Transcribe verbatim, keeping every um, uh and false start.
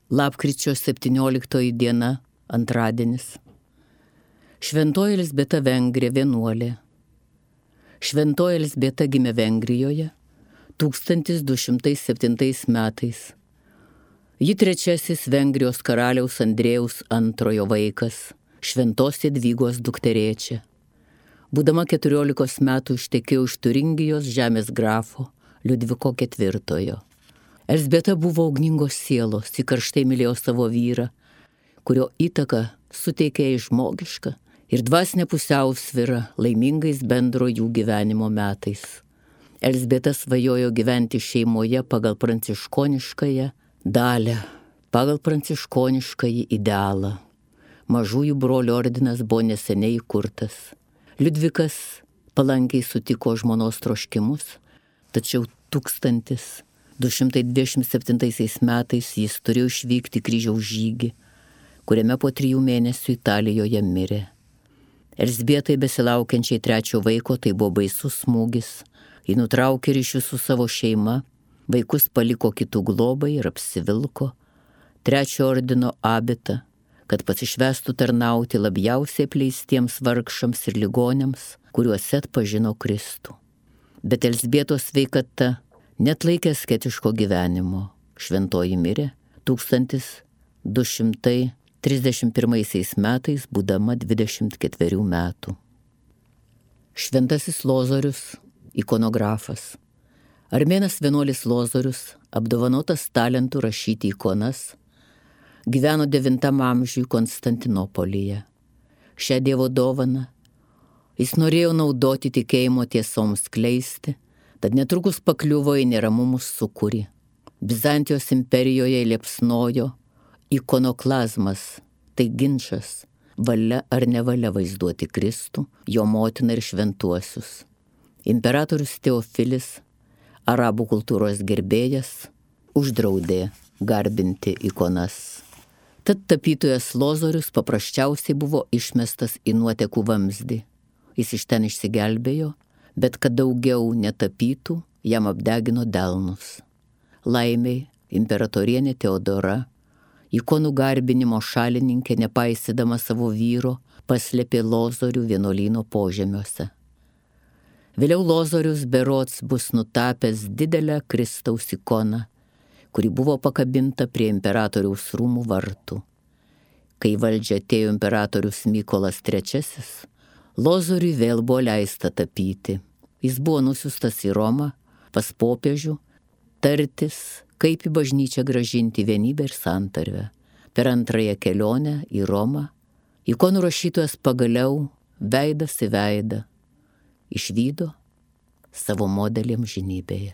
Lapkričio septynioliktoji diena, antradienis. Šventoji Elzbieta Vengrė vienuolė. Šventoji Elzbieta gimė Vengrijoje tūkstantis du šimtai septintais metais. Ji trečiasis Vengrijos karaliaus Andrėjaus antrojo vaikas, šventos Jadvygos dukterėčia. Būdama keturiolikos metų ištekėjo iš Turingijos žemės grafo Liudviko ketvirtojo. Elzbieta buvo ugningos sielos, ji karštai mylėjo savo vyrą, kurio įtaka suteikė jai žmogišką ir dvasinę pusiausvyrą laimingais bendro jų gyvenimo metais. Elzbieta svajojo gyventi šeimoje pagal pranciškoniškąją dalią, pagal pranciškoniškąjį idealą. Mažųjų brolių ordinas buvo neseniai įkurtas. Liudvikas palankiai sutiko žmonos troškimus, tačiau tūkstantis du šimtai dvidešimt septintaisiais metais jis turėjo išvykti kryžiaus žygį, kuriame po trijų mėnesių Italijoje mirė. Elzbietai besilaukiančiai trečio vaiko tai buvo baisus smūgis. Ji nutraukė ryšius su savo šeima, vaikus paliko kitų globai ir apsivilko trečio ordino abitą, kad pasišvestų tarnauti labiausiai apleistiems vargšams ir ligoniams, kuriuose atpažino Kristų. Bet Elzbietos sveikata neatlaikė asketiško gyvenimo. Šventoji mirė tūkstantis du šimtai trisdešimt pirmaisiais metais, būdama dvidešimt ketverių metų. Šventasis Lozorius, ikonografas. Armėnas vienuolis Lozorius, apdovanotas talentu rašyti ikonas, gyveno devintam amžiui Konstantinopolyje. Šią Dievo dovaną jis norėjo naudoti tikėjimo tiesoms skleisti, tad netrukus pakliuvo į neramumus sūkurį. Bizantijos imperijoje liepsnojo ikonoklazmas, tai ginčas, valia ar nevalia vaizduoti Kristų, jo motiną ir šventuosius. Imperatorius Teofilis, arabų kultūros gerbėjas, uždraudė garbinti ikonas. Tad tapytojas Lozorius paprasčiausiai buvo išmestas į nuotekų vamzdį. Jis iš ten išsigelbėjo, bet kad daugiau netapytų, jam apdegino delnus. Laimiai, imperatorienė Teodora, ikonų garbinimo šalininkė, nepaisydama savo vyro, paslėpė Lozorių vienuolyno požemiuose. Vėliau Lozorius berods bus nutapęs didelę Kristaus ikoną, kuri buvo pakabinta prie imperatoriaus rūmų vartų. Kai valdžia atėjo imperatorius Mykolas trečiasis, Lozoriui vėl buvo leista tapyti. Jis buvo nusiustas į Romą pas popiežių tartis, kaip į bažnyčią grąžinti vienybę ir santarvę. Per antrąją kelionę į Romą ikonų rašytojas pagaliau veidas į veidą išvydo savo modelį amžinybėje.